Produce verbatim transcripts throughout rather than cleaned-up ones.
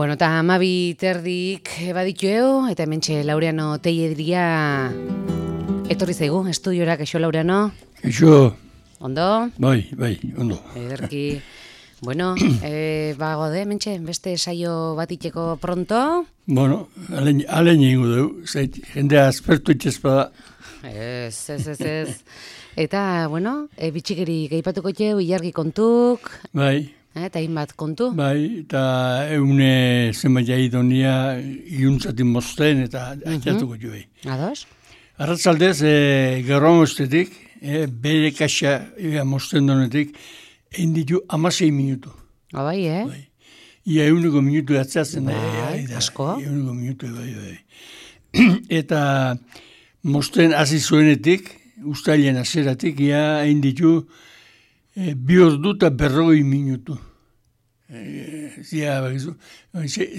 Bueno, eta amabi terdik baditueo, eta hementxe Laureano Teiedria etorri zaigu, estudiora, kaixo Laureano? Kaixo. Ondo? Bai, bai, ondo. Ederki. Bueno, e, bago de, hementxe, beste saio bat itxeko pronto? Bueno, alen, alen ingo dugu, zait, jendea aspertu itxezpada. Ez, ez, ez, ez. Eta, bueno, e, bitxikeri gaipatuko txeu, ilargi kontuk. Bai. Eta hainbat kontu. Bai, eta eune zenbait jaidonia iuntzatik mozten eta atxatuko jo bai. Ados? Arratzaldez, e, gaur amostetik, e, bere kaxa e, mozten donetik, egin ditu amasei minutu. Abai, eh? Bai. Ia euneko minutu atzatzen. Bai, da, asko. Euneko minutu, bai, bai. Eta mozten hasi zuenetik, ustailen azeratik, ia egin ditu, E, bi ordu eta berrogei minutu. E, zia, bakizu,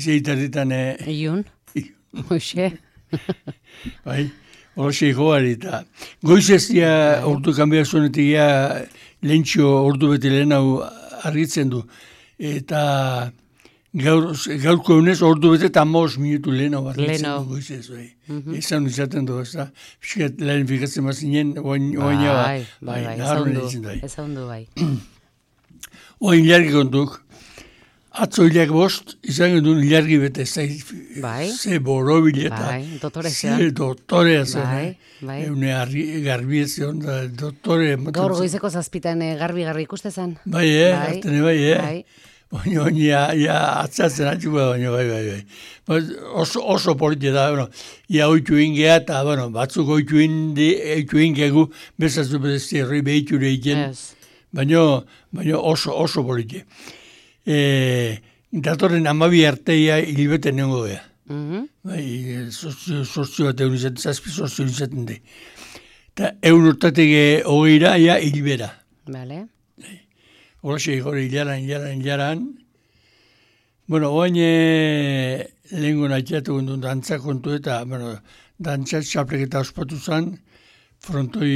zeitarritan... E, Iun? Hoxe. Bai, hori joari eta... Goizez zia ordu kanbia zuenetik ja lehentxo ordu bete lehen hau argitzen du. Eta gaur, gaurko egunez ordu bete eta amaos minutu lehen hau argitzen du goizez. Bai. Mm-hmm. Ezan izaten du, ez da. Piskat lehen fikatzen mazinen, oaina ba. Bai, bai, bai, ezan du, bai. Oain ilargi kontuk, atzo hilak bost, izan gendun ilargi bete, bai. Ze borobile eta bai, dotorea zean. Ze dotorea zean. Bai, bai. Eune garbi ezion, da dotore... Gaur goizeko zazpitan garbi-garbi ikuste zen. Bai, eh, bai. Artene bai, eh. Bai. Baina, ja, ja, atzatzen atxuko da, baina, bai, bai, bai. Oso, oso polite da, bueno, ia oitu ingea, eta, bueno, batzuk oitu ingegu, bezatzu bezazti erroi behiture egiten, yes. baina, baina oso, oso polite. E, datorren amabi arteia hilibeten nengo gea. Mm-hmm. Bai, sortzio bat egun izaten, zazpi sortzio izaten de. Eta egun urtatik hogeira, ia hilibera. Vale. Horxe, hori hilaran, hilaran, hilaran. Bueno, oain e, lehenko nahiatu gondun dantza kontu eta, bueno, dantza txapleketa ospatu zen, frontoi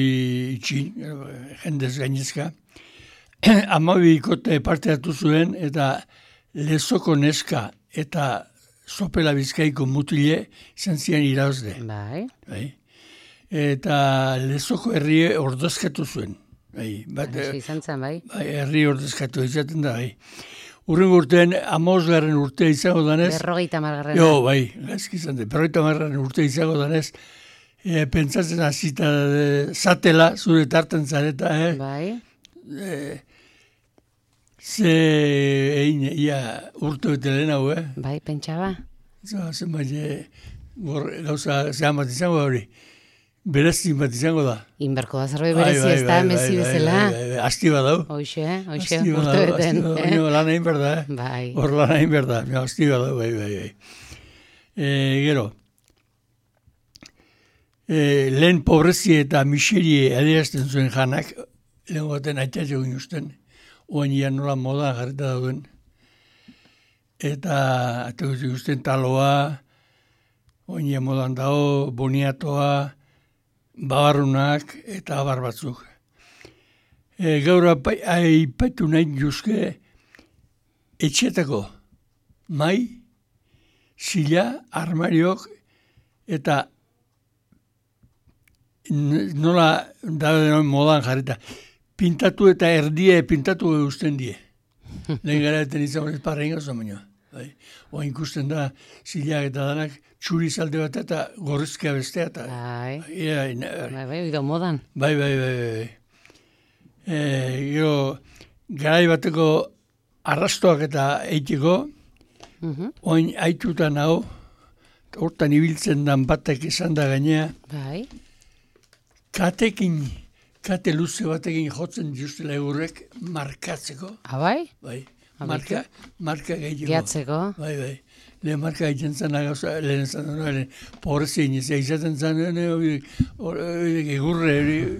itxi, jendez gainezka. Amabi ikote parte hartu zuen eta lezoko neska eta sopela bizkaiko mutile izan zian irauzde. Bai. Bai. Eta lezoko herrie ordezkatu zuen. Bai, bat, izan zen, bai. Bai, herri ordezkatu izaten da, bai. Urren urtean, amosgarren urtea izango danez... Berrogeita margarren. Jo, bai, gaizki izan da, berrogeita margarren urtea izango danez, e, pentsatzen hasita e, zatela, zure tartan zareta, eh? Bai. E, ze, egin, ia, urte bete lehen hau, eh? Bai, pentsaba. Zer, zenbait, e, gauza, zehan bat izango hori. Berezin bat izango da. Inberko da zerbait berezi ez da, mezi bezala. Asti bat dau. Hoxe, hoxe, urte beten. Baina lan egin berda, eh? Bai. Hor lan egin berda, asti bat dau, bai, bai, bai. E, gero, e, lehen pobrezi eta miserie adierazten zuen janak, lehen baten aitatxo ginen usten, oain ian nola moda jarreta dauden. Eta, eta guztien taloa, oain ian modan dago, boniatoa, babarrunak eta abar batzuk. E, gaur aipatu nahi juzke etxetako mai, zila, armariok eta nola da modan jarreta. Pintatu eta erdie pintatu guztien die. Lehen gara eten izan horret parra ingoz baina. Oa ikusten da zilak eta danak txuri zalde bat eta gorrizkia bestea. Eta, bai. Bai, bai, bai, oido modan. Bai, bai, bai, bai. E, gero, garai bateko arrastoak eta eitiko, uh-huh. Oin aitutan hau, hortan ibiltzen dan batek izan da gainea, bai. Katekin, kate luze batekin jotzen justela egurrek markatzeko. Ah, bai? Bai. marka, marka gehiago. Gehatzeko. Bai, bai. Lehen marka egiten zen, lehen zen, lehen pobrezin, izaten zen, hori egurre,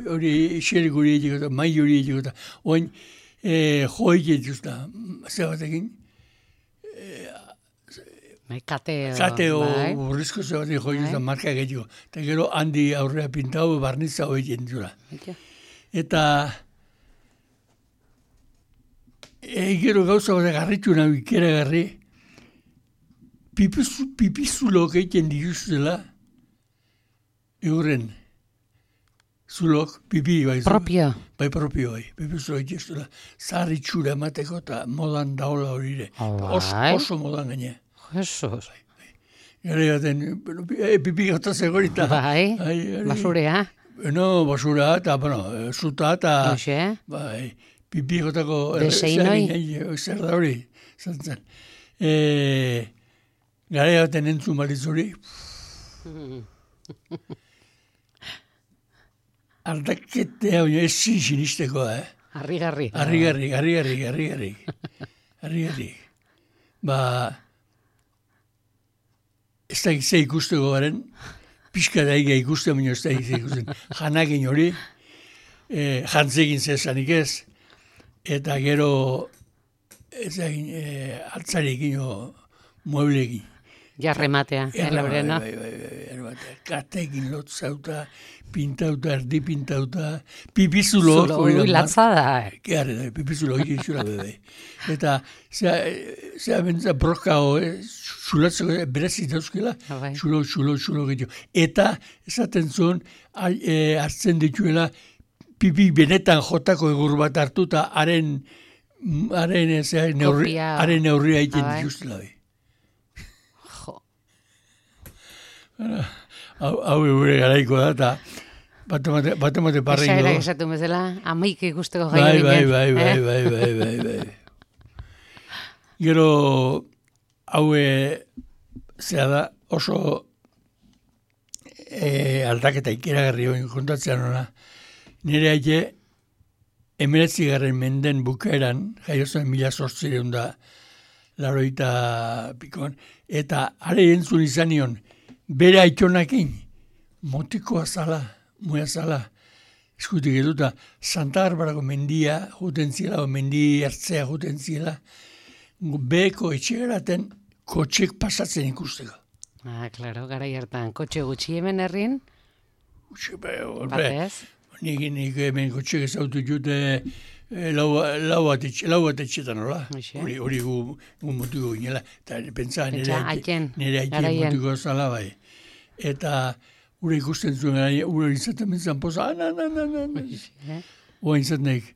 hori xerik hori egiteko, mai hori egiteko, oin jo egiteko, ze batekin, Bai, kateo. Kateo, burrizko ze batekin jo egiteko, marka egiteko. Eta gero handi aurrea pintau, barnitza hori egiteko. Eta gero gauza bat garritu nahi ikera garri, pipizulok egiten dituzela, eurren, zulok, pipi, bai. Propio. Bai, propio, bai. Pipizulok egiten dituzela, zarri txura emateko eta modan daola horire. Oso, oso modan gaine. Jesus. Gara gaten, pipi gauta zegorita. Bai, basurea. No, basura eta, bueno, zuta eta... Hoxe. Bai, pipi gautako... Deseinoi. Zer da hori, zantzen. Eee... Gara baten entzun balitzuri. Ardaketea, baina ez zin sinisteko, eh? Arri-garri. Arri-garri, arri-garri, arri-garri. Arri-garri. Ba, ez da ze ikusteko garen, pixka daigea ikusten, baina ez da ze ikusten. Janakin hori, jantzegin zezanik ez, eta gero, ez da, altzarekin o mueblekin. Jarrematea, elaurena. Bai, bai, bai, bai, katekin lotzauta, pintauta, erdi pintauta, pipizulo. Zulo, latza da. Geharre da, pipizulo hori zura bebe. Eta, zera bentsa broka ho, zulatzeko berezit dauzkela, zulo, zulo, zulo gehiago. Eta, esaten zuen, hartzen dituela, pipi benetan jotako egur bat hartu, eta haren, haren neurria egiten dituztela bai. Hau gure garaiko da, eta bat emate parrengo. Esa era esatu bezala, amaik ikusteko gai hori. Bai, bai, bai, bai, bai, bai, bai. Gero, hau zera da, oso aldaketa ikeragarri hori kontatzean hona. Nire haite, emeretzi garren menden bukaeran, jaiozen mila sortzireun da, laroita pikon, eta are entzun izan nion, bere aitonakin, motikoa zala, muea zala, eskutik eduta, Santa Barbarako mendia juten zila, o mendi hartzea juten zila, beheko etxegaraten kotxek pasatzen ikusteko. Ah, klaro, gara hartan, kotxe gutxi hemen herrin? Gutxi, batez? Nik, nik hemen kotxek ezautu jute lau bat etxetan, hola? Hori gu motiko ginela. Eta pentsa, nire haitien motiko zala bai. Eta gure ikusten zuen, gure izaten bentzan poza, ana, ana, ana, ana. Oa izaten nik.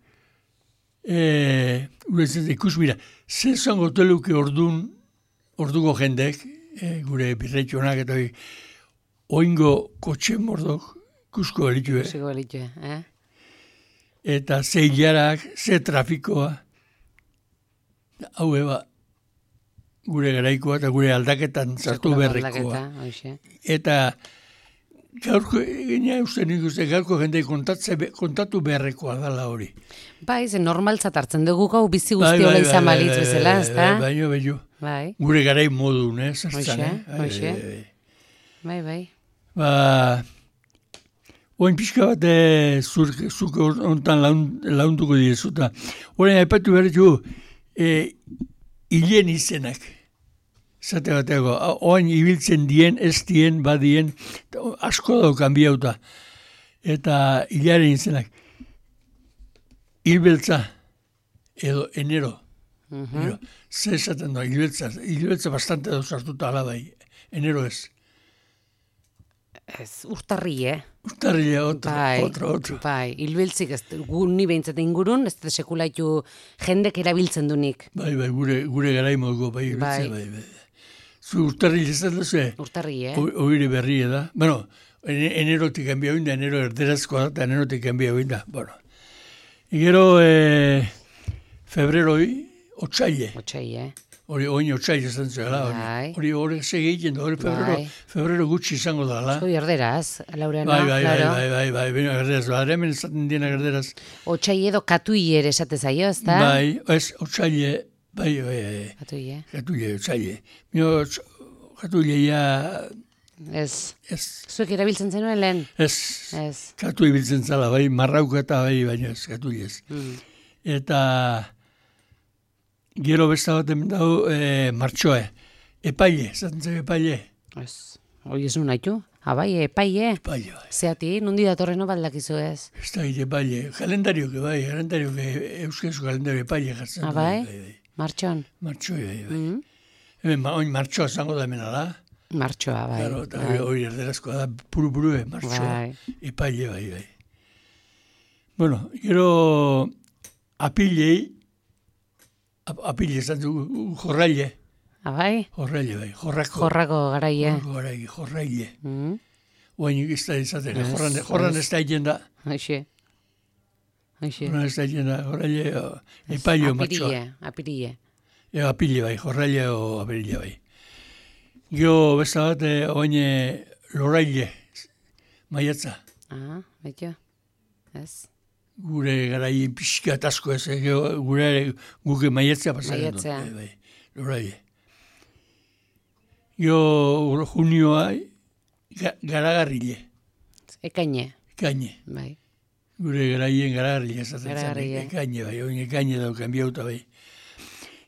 Gure izaten ikus, mira, zer zango teluke ordun, orduko jendek, gure birretxonak eta hori, oingo kotxe mordok, ikusko belitue. Ikusko belitue, eh? Eta ze hilarak, ze trafikoa, hau eba, gure garaikoa eta gure aldaketan zartu berrekoa. Eta gaurko, gina uste nik uste, gaurko jende kontatu beharrekoa dala hori. Bai, ze normaltzat hartzen dugu gau bizi guzti hola izan balitz bezala, ez da? Baino, baino. Gure garai modun, eh? Hoxe, hoxe. Bai, bai. Ba... Oin pixka bat zuk ontan launduko direzuta. Horren aipatu behar du, hilen izenak. Zate bateko, oin ibiltzen dien, ez dien, badien, asko dau kanbiauta. Eta hilaren izenak. Hilbeltza, edo enero. Zer esaten da, hilbeltza. Hilbeltza bastante dauz hartuta alabai. Enero ez. Ez, urtarri, eh? Urtarri, otro, otro, otro. Bai, hilbiltzik ez, gu ni behintzat ingurun, ez da sekulaitu jendek erabiltzen dunik. Bai, bai, gure, gure garai moduko, bai, bai, bai, bai. Zu urtarri ez da ze? Urtarri, eh? Oire berri, da. Bueno, enerotik kanbia huinda, enero erderazkoa da, eta enerotik kanbia huinda, bueno. Gero, eh, febreroi, otxaile. Otxaile, eh? Hori oin otxaila izan zuela, hori hori segi egiten da, hori febrero, febrero gutxi izango da, la? Zoi erderaz, Laurena, bai, bai, bai, bai, bai, bai, bai, erderaz, bai, hemen esaten diena erderaz. Otxaile edo katui ere esate zaio, ez da? Bai, ez, otxaile, Bai, bai, bai. Katule. Katule, otzaile. Mio, katuleia... Ez. Ez. Zuek erabiltzen zenuen lehen? Ez. Ez. Katu ibiltzen zala, bai, marrauka eta bai, baina ez, katule ez. Mm. Eta gero besta bat hemen dago e, martxoe. Epaile, zaten zen epaile. Ez. Hoi ez nun haitu? Abai, epaile. Epaile, bai. Zeati, nundi datorreno baldakizu ez? Ez da gite epaile. Kalendario, que bai, kalendario, que euskazko kalendario epaile jartzen. Abai? Bai, bai. Martxon? Martxoe, bai, bai. Mm. Hemen, oin martxoa zango da hemen ala. Martxoa, bai. Claro, eta bai. hori erderazkoa da, puru-puru, eh, martxoa. Bai. Epaile, bai, bai. Bueno, gero apilei, ap, apile esan du, jorraile, Abai? jorraile, bai, jorrako. Jorrako garaie. Jorrako garaile, jorraile. Mm. Oain ez da izaten, Ez, jorran, jorran ez. ez da egin da, Hoxe. Hoxe. jorran ez da egin da, jorraile, o, epaile, martxoa. Apirille, apirille. E, apile, bai, jorraile o apirille, bai. Gero besta bat, eh, oain eh, loraile, maiatza. Ah, betio. Ez. Gure garai pixka asko ez, eh, gero gure guke maiatzea pasaren dut. Maiatzea. Bai, bai, loraile. Gero junioa, ga, garagarrile, Ekaine, ekaine. bai. Gure garaien garagarrile esaten zen, Garagarrile. ekaine bai, oin ekaine dauken biauta bai.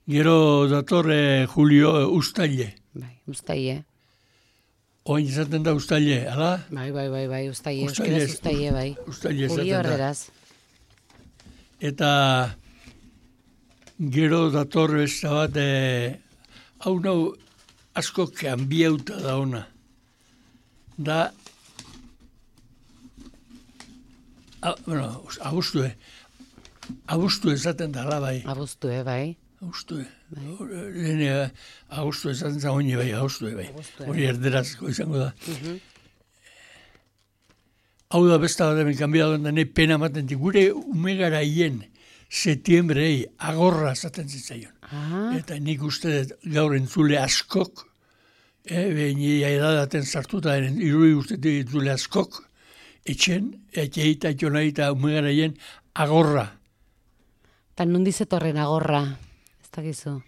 Gero datorre julio eh, ustaile, Bai, ustaie. oin esaten da ustaile, ala? Bai, bai, bai, bai, ustaie. Ustaile, Euskaraz ustaie, bai. Ustaile Julio esaten da. erderaz. Eta gero dator besta bat, eh, hau nau asko kanbiauta da ona. Da, a, bueno, abuztue, abuztue esaten da, ala bai, Abuztue, bai. abuztue. Lehene, abuztue esaten da, oine bai, abuztue bai. Abuztue. Hori erderazko izango da. Mhm. Hau da besta bat hemen kanbiatu da, nahi pena maten di. Gure umegaraien setiembrei agorra esaten zitzaion. Ah, Eta nik uste dut gaur entzule askok, eh, behin edadaten sartuta, iruri uste dut entzule askok, etxen, etxeita, etxonaita, umegaraien agorra. eta nundi zetorren agorra. Ez dakizu.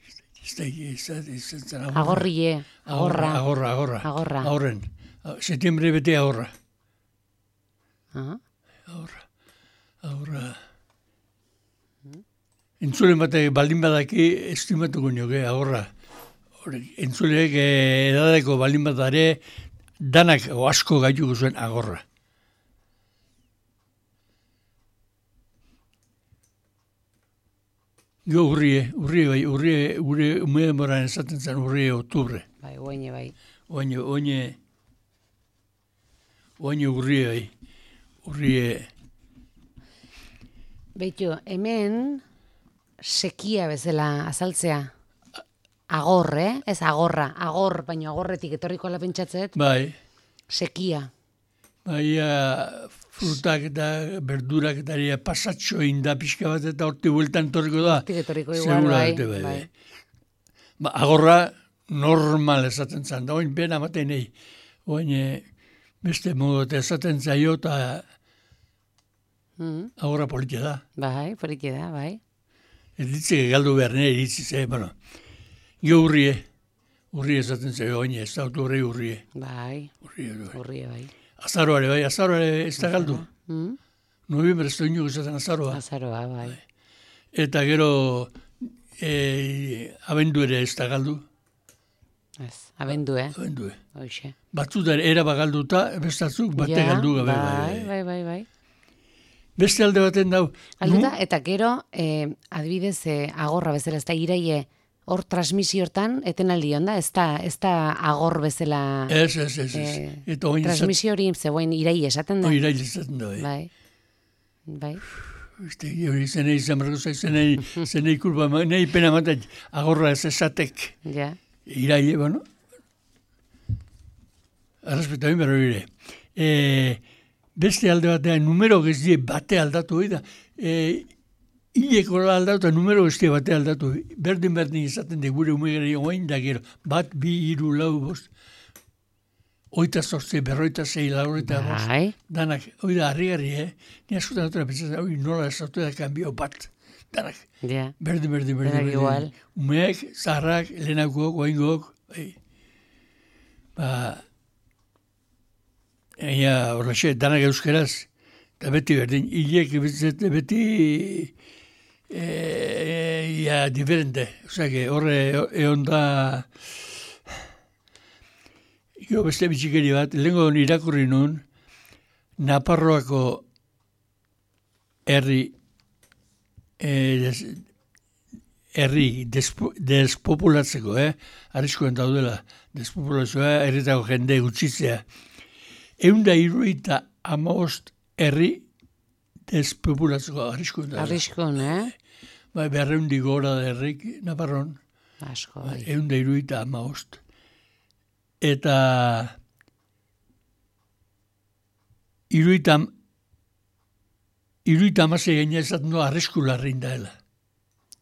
Ez da, ez da, ez da, ez da, agorra. Agorrie, agorra. Agorra, agorra. Agorra. Agorren. Setiembre bete agorra. Ah, Agorra. Agorra. Entzulen batek baldin badaki estimatuko nioke, agorra. Hori, entzuleek eh, edadeko baldin badare danak o asko gaituko zuen agorra. Gio urrie, urrie bai, urrie, gure ume denboran esaten zen urrie oktubre. bai, oine, bai. Oine, oine, oine urrie bai, urrie, Beitu, hemen sekia bezala azaltzea. Agor, eh? Ez agorra, agor, baina agorretik etorriko ala pentsatzet, bai, sekia. bai, ah, frutak eta berdurak eta ere pasatxo inda pixka bat eta horti bueltan torriko da. Hortik etorriko igual, bai, Seguramente, bai, bai. Ba, agorra normal esaten zan, da oin pena maten nahi. Oin eh, beste modu eta esaten zaio eta Mm, agorra politia da. bai, poliki da, bai. Ez ditzeke galdu behar nire iritzi ze, bueno. Gio urrie, urrie esaten zaio, oin ez da oktubre urrie. Bai, Urrie, bai. urrie, bai. Azaroare, bai, azaroare ez da galdu. Mm? Noviembre ez da inoak esaten azaroa. Azaroa, bai. Eta gero e, abendu ere ez da galdu. Ez, abendu, eh? Abendu, eh. Hoxe. Batzutan era bagalduta, bestatzuk bate Ja, galdu gabe. bai, bai, bai, bai. Beste alde baten dau. Alduta, eta gero, eh, adibidez, eh, agorra bezala, ez da iraie, hor transmisio hortan, etenaldi onda, ez da, ez da agor bezala, Ez, ez, ez, ez. eh, Eta oin izat, transmisio hori zegoen iraie esaten da. oin irail izaten da. Eh. Bai, bai, Este, hori zenei izan berko zai, zenei, zenei kulpa, ma- nahi pena maten agorra ez esatek. ja. Iraile, bueno. Arrespeta bin berro ire. E, beste alde batean, numero geztie bate aldatu hori da. E, Ileko aldatu eta numero geztie bate aldatu. Berdin-berdin izaten de gure umegari oain da gero. Bat, bi, hiru, lau, bost. Oita zortze, berroita zei, lauroita bost. Bai, Danak, hori da, harri-garri, eh? Ni askotan dutera pentsatzen, hori nola esatu da kanbio bat. danak. Ja. Berdin, berdin, berdin. Denak igual. Umeak, zaharrak, lehenakoak, oaingok, bai. Ba, egia horrexe, danak euskeraz, eta beti berdin, hilek beti e, ia diferente. Osea, horre egon da, jo beste bitxikeri bat, lehenko irakurri nun, Naparroako herri eh, des, herri despo, despopulatzeko, eh? Arriskoen daudela, despopulazioa, herritako jende gutxitzea. Eunda iruita amaost herri despopulatzeko, arriskoen daudela. Arriskon, eh? Bai, berreundi gora da herrik, Naparron. Asko, bai. Eunda iruita amaost. Eta iruitam iruita amasei gaina esaten du arriskularrin daela.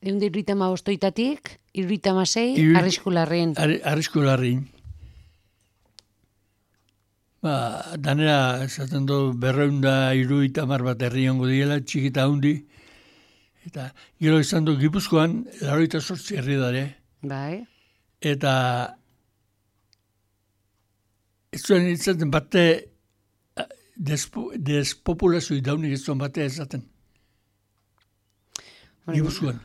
Eunde iruita maostoitatik, iruita masei, Iru- arriskularrin. Ar, arriskularrin. Ba, danera esaten du berreunda iruita mar bat herri hongo diela, txikita hundi. Eta gero izan du Gipuzkoan, laroita sortzi herri dare. Bai. Eta ez zuen izaten bate despo, despopulazio idaunik ez zuen batea ezaten. Gipuzkoan.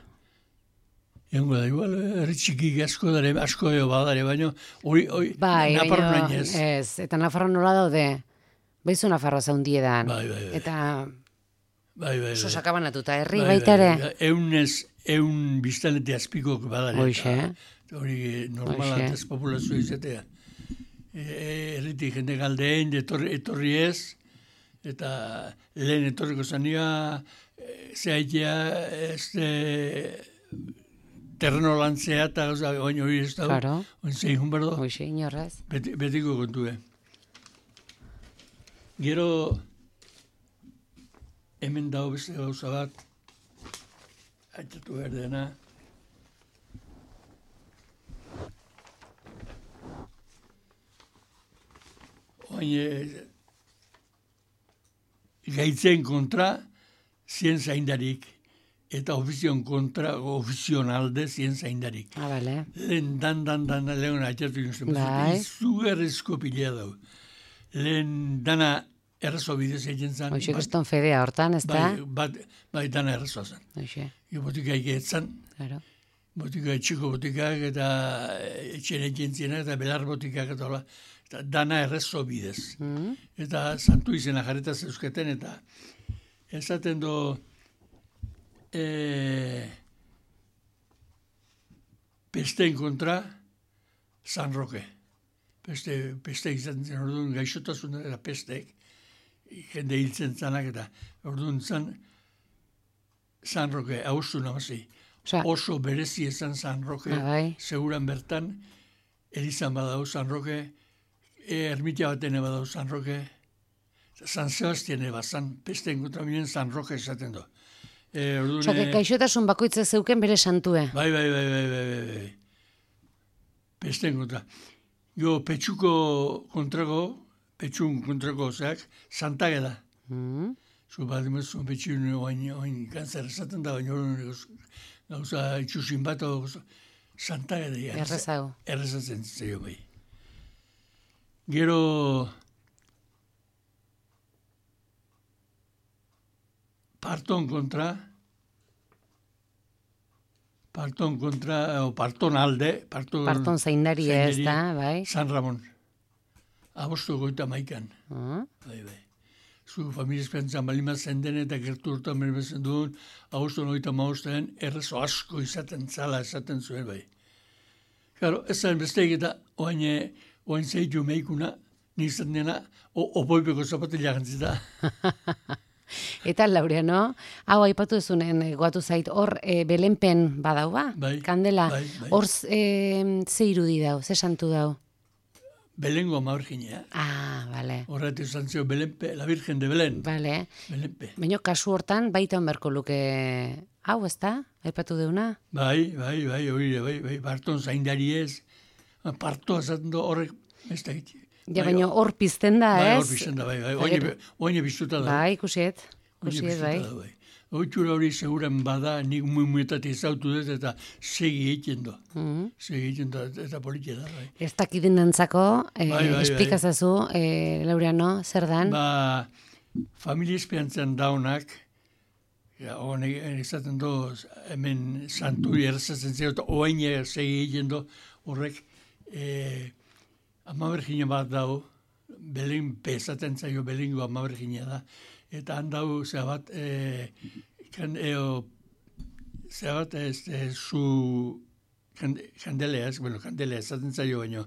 Egongo da, igual, herri txikik asko dare, asko eo badare, baina hori, hori, Bai, Nafarroan baina, hain ez. ez, eta Nafarroa nola daude? Baizu Nafarroa zaundiedan. Bai, bai, bai. Eta Bai, bai, oso bai. sakabanatuta, herri Bai, baita ere. bai, bai. Eunez, eun biztanete azpikok badare. Hoxe, Eta hori normala Hoxe. despopulazio izatea. E, erritik jende galdeen, etorri, etorri ez, eta lehen etorriko zanioa, e, zehaitea, ez e, terreno lantzea, eta gauza, oin hori ez dago, Claro. oin zein hun berdo, Hoxe, inorrez. beti, betiko kontue. Gero, hemen dago beste gauza bat, aitzatu behar dena, oin e, gaitzen kontra, zien zaindarik, eta ofizion kontra, ofizion alde zien zaindarik. Ah, bale. Lehen dan, dan, dan, dan, lehen atxatu inozen. Bai. Izugarrizko pila dau. Lehen dana errazo bidez egin zan. Hoxe, kriston fedea hortan, ez da? bai, bat, bai, dana errazoa zan. Hoxe, Jo botika egeetzan, claro. botika etxiko botikak eta etxen egin zienak eta belar botikak eta hola. Eta dana errazo bidez. Mm. Eta santu izena jarreta zeusketen eta esaten do e, pesteen kontra San Roque. Peste, peste izan zen orduan gaixotasun eta pestek jende hiltzen zanak eta orduan zan San Roque, haustu namazi. Osea, Oso berezi esan San Roque, Ah, bai. seguran bertan, erizan badau San Roque, e, ermitia baten badau San Roque, San Sebastian eba, San pesteen kontra minen San Roque esaten do. E, orduan, osea, e, gaixotasun bakoitza zeuken bere santue. bai, bai, bai, bai, bai, bai, bai. Pesteen kontra. Jo, petxuko kontrako, petxun kontrako, zeak, Santage da. Mm. Zu bat emezu, petxun, oain, oain, kanzer esaten da, baina hori gauza itxusin bat, Santage da. ja. Errezago. Errezatzen zeio bai. Gero, parton kontra, parton kontra, o parton alde, parton, Parton zaindari ez zaindari, da, bai. San Ramon. Agosto goita maikan. Ah, Bai, bai. Zu familia espentzan balima zenden eta gertu urtan berbezen duen, agosto goita maostean, errezo asko izaten zala esaten zuen bai. Claro, ez zaren besteik eta oain, oain zeitu meikuna, nizan dena, opoipeko zapatila gantzita. Eta Laureano, hau aipatu ezunen, goatu zait, hor e, belenpen badau ba? Bai, Kandela, bai, bai. hor e, ze irudi dau, ze santu dau? Belengo maurginea. Ah, bale, Horret izan zio Belenpe, la Virgen de Belen. bale. Belenpe. Baina kasu hortan baita onberko luke hau, ez da? Aipatu deuna? Bai, bai, bai, hori, bai, bai, parton zaindari ez. Parto esaten du horrek, ez da egite. Ja, baina hor pizten da, Bai, ez? hor pizten da, bai, bai. Eta gero- Oine biztuta da. Bai, ikusiet, Oine ikusiet, biztuta bai. da, bai. Oitxura hori seguran bada, nik mumuetatik zautu dut eta segi egiten do. Mm. Segi egiten do, eta politia da, bai. Ez dakidin nantzako, eh, bai, bai, esplikazazu, eh, Laureano, zer dan? Ba, familia espiantzen daunak, ja, honek ezaten do, hemen santuri errazatzen zeo, eta oain segi egiten do, horrek, eh, ama bergina bat dau, Belen, pezaten zaio belingo ama bergina da, eta handau zebat, eh, kan, eo, zebat, este, su, kandelea, bueno, kandelea, ezaten zaio baino,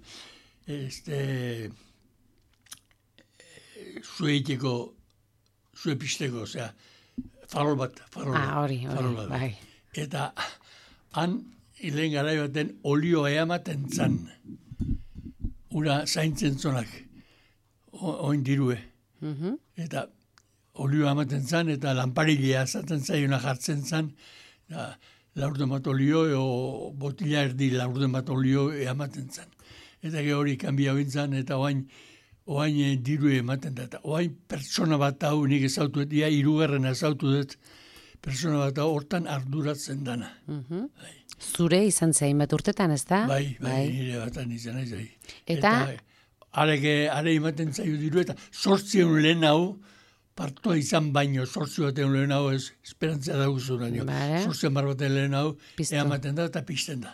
este, zu eiteko, zu episteko, osea, farol bat, farol bat. Ah, hori, hori, bat. bai. Eta, han, hilen garai baten, olio eamaten zan, ura zaintzen zonak, oin dirue. Mm-hmm. Eta, olio amaten zan, eta lanparilea zaten zaiona jartzen zan, da, laurden bat olio, o botila erdi laurden bat olio ematen zan. Eta ge hori kanbia bintzan, eta oain, oain diru ematen da. Eta oain pertsona bat hau nik ezautu dut, ia irugarren ezautu dut, pertsona bat hau hortan arduratzen dana. Mm-hmm. Bai. Zure izan zein bat urtetan, ez da? Bai, bai, bai. Nire batan izan ez bai. Eta? Areke, are ematen zaio diru, eta sortzion lehen hau, partoa izan baino, sortzio batean lehen hau, ez, esperantzia daguzu naino. Vale. Sortzion bar batean lehen hau, ematen da eta pizten da.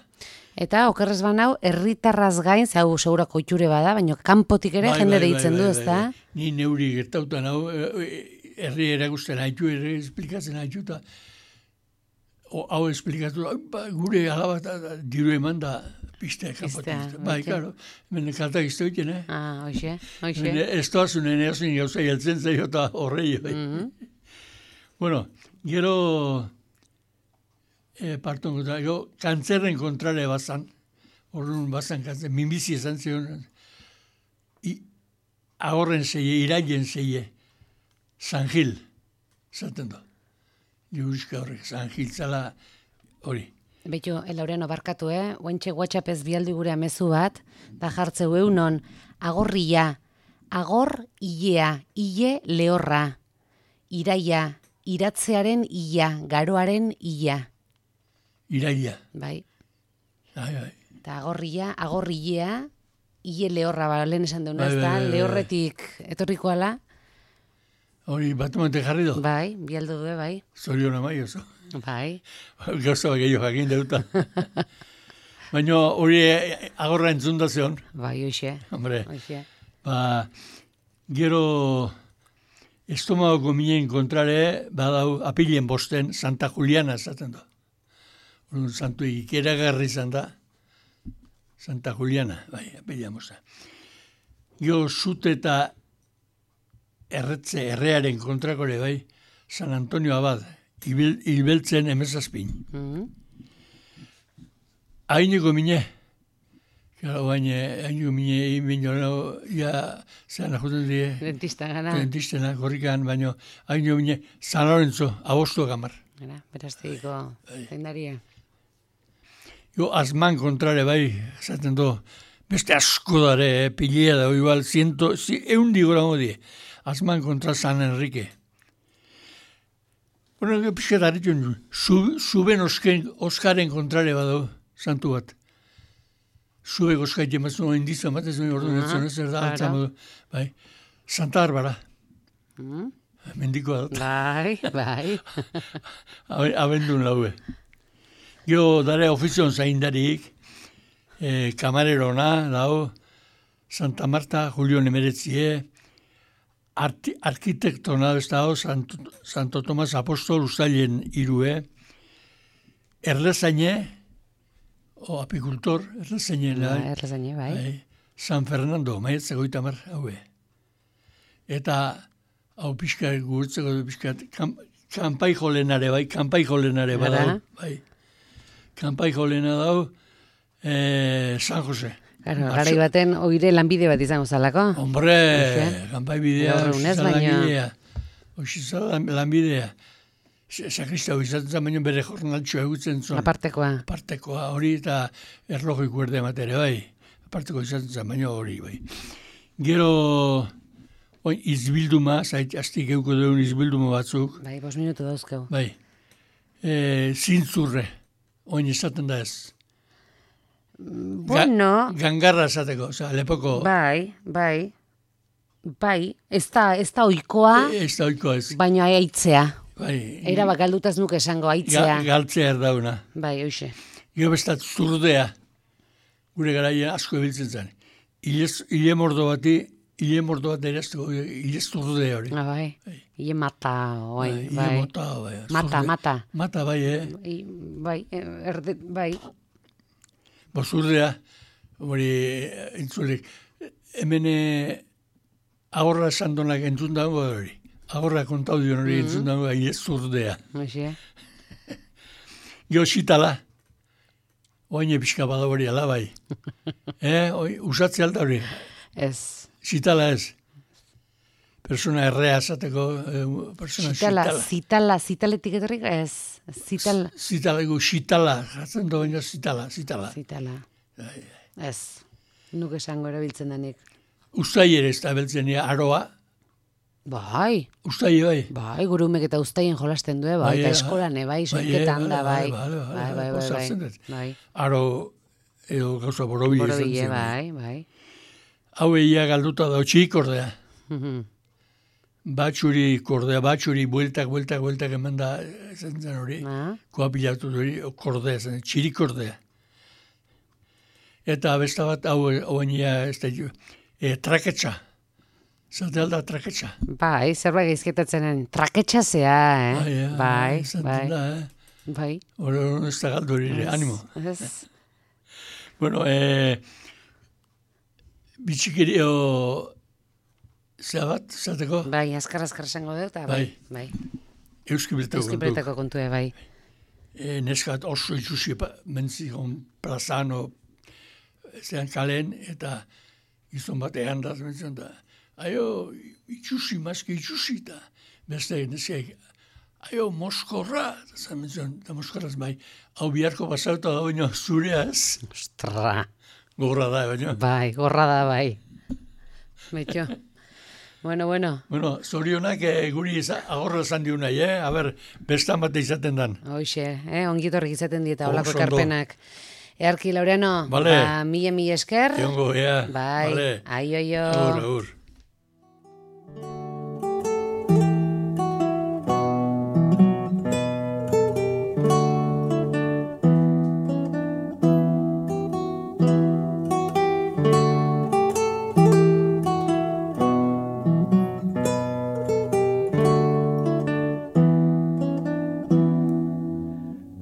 Eta, okerrez banau, herritarraz gain, zau segurako itxure bada, baina kanpotik ere bai, jende bai, deitzen bai, du, bai, ez da? Bai. Ni neuri gertautan hau, herri eragusten haitu, herri esplikatzen haitu, eta hau esplikatu, ba, gure alabat diru eman da piztea kanpotik. Bai, karo, hemen kaltak izte hoiten, eh? Ah, hoxe, hoxe. Ez toazunen erazun gauza jeltzen zaio eta horrei, bai. Mm-hmm. Bueno, gero eh, parton kontra, gero kantzerren kontrale bazan, horren bazan kantzen, minbizi esan zion, agorren zeie, irailen zeie, San Gil, zaten do. Juruzka horrek, San Gil zala hori. Beitu, Laureano barkatu, eh? Oentxe WhatsAppez bialdi gure amezu bat, da jartzeu eunon, agorria, agor ilea, ile lehorra, iraia, iratzearen ia, garoaren ia. Iraia. Bai. Ai, bai. Eta agorria, agorrilea, ile lehorra, ba, lehen esan duen, Bai, ez bai, da, bai, bai. lehorretik etorriko ala. Hori batu mante jarri do. Bai, bialdu du, bai. Zorion amai oso. Bai. Gauza bat gehiago jakin deuta. Baina hori agorra entzun da zeon. Bai, hoxe. Hombre, Hoxe. ba, gero estomagoko minen kontrare, badau apilen bosten Santa Juliana esaten du. Un santu ikeragarri izan da. Santa Juliana, bai, apilen bosta. Gero zute eta erretze, errearen kontrakore, bai, San Antonio Abad, ibil, hilbeltzen emezazpin. Mm-hmm. Haineko mine, gara baina, haineko mine, baina, ja, zean ajuten die, Dentista gana. dentistena, korrikan, baina, haineko mine, San Lorenzo, abostu gamar. Gara, berazteiko zendaria. Jo, azman kontrare, bai, esaten do, beste asko dare, eh, pilea da, igual, ciento, si, eundi gora modie, azman kontra San Enrique. Bueno, pixka daritun, zuben Oskaren kontrare badau, santu bat. Zube Oskaite mazun, indizan bat, ez duen orduan etzen, ez da, altza modu. Bai, Santa Barbara. Mm. Mendikoa dut. Bai, bai. Abendun laue. Gero, dare ofizion zaindarik, eh, kamarerona, lau, Santa Marta, Julio Nemeretzie, Arti, arkitektona ez da, Santo, Santo Tomas Apostol Uztailen irue, errezaine, o apikultor, errezaine, Ba, errezaine, bai. bai, San Fernando, maietze goita mar, haue. Eta, hau pixka gurtzeko du pixka, kam, kanpai jolenare, bai, kanpai jolenare, Ara. badau, bai. Kanpai jolena dau, eh, San Jose. Claro, garai baten oire lanbide bat izango zalako. Hombre, kanpai bidea, Gaur egunez, oxizan baina- langilea. Oxizan lanbidea. Sakristau izaten baino bere jornaltxoa egutzen zuen. Apartekoa. Apartekoa hori eta erlojo ikuerde ematere, bai. Aparteko izaten zen, baina hori, bai. Gero, oin izbilduma, zait, aztik euko duen izbilduma batzuk. Bai, bos minutu dauzkeu. Bai, e, zintzurre, oin esaten da ez. Bueno. Ga, gangarra esateko, oza, lepoko. Bai, bai, bai, ez da, ez da oikoa, Ez da oiko ez. baina aitzea. Bai, Era bak galdutaz nuke esango ga, aitzea. galtzea erdauna. Bai, hoxe. Gero bestat zurdea, gure garaia asko ebiltzen zen. Ilez, ile mordo bati, ile mordo bat eraztuko, ile zurdea hori. Ah, bai, ile mata, oi, Bai, ile bai. mota, bai. Mata, zurde- mata. Mata, bai, eh? I, bai, erde, bai, Bo zurdea, hori, entzulek, hemen eh, agorra esan donak entzun dago hori. Agorra kontau dion hori entzun dago, ile zurdea. hoxe. Gero xitala, oain epizka bada hori ala bai. eh, oi, usatze alda hori, Ez. xitala ez. Persona errea esateko, eh, persona Zitala, xitala. zitala, zitaletik etorrik ez. Zitala, Zitalego, xitala, jatzen da baina zitala, zitala. zitala. Ez. Nuk esango erabiltzen denik. Ustai ere ez da beltzen aroa, Bai, ustai bai. bai, gurumek eta uztaien jolasten du, bai, eta eh, eskolan, bai, bai, soiketan eh, da, bai. bai, bai, bai, Bai, bai, bai, bai, sartzen bai. dut. Bai. Aro, edo gauza borobile izan Borobile, zen. bai, bai. Hau egia galduta da, txik ordea. Mhm. Batxuri kordea, batxuri, bueltak, bueltak, bueltak eman da, esan zen hori. Ah, Koapilatu hori, kordea, zen, txiri kordea. Eta besta bat, hau, hau enia, ez da, e, traketxa. Zate alda traketxa. bai, zerbait geizketatzenen traketxazea, eh? eh, Bai, esaten bai, Da, eh? bai. Hori hori ez da galdu hori, ere, animo. Ez, Bueno, eh, bitxikerio, zea bat, zateko, bai, azkar azkar esango dut, eta bai, bai. euski bertako kontu. Euskipretako kontue, bai. E, neskat oso itxusi mentzikon plazano, zean kalen, eta gizon bat egan da, mentzen da, aio, itxusi, maski itxusi, eta beste neskaik, aio, moskorra, eta mentzen, eta moskorraz bai, hau biharko basauta da, baina zurea ez, Ostra, gorra da, baina. bai, gorra da, bai. Betxo. Bueno, bueno, Bueno, zorionak eh, guri iza, agorra esan diun nahi, eh? A ber, bestan bat izaten dan. hoxe, eh? ongitorrik izaten dieta, olako Oso ondo. ekarpenak. Earki, Laureano, Vale. ba, mila mila esker. Egongo, ea. Bai, Vale. aio, aio. Agur, agur.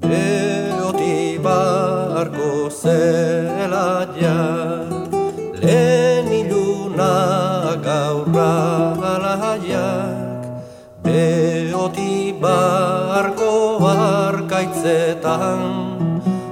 Eoti barko zela ja, lehen iluna gaurra alaiak, beoti barko arkaitzetan,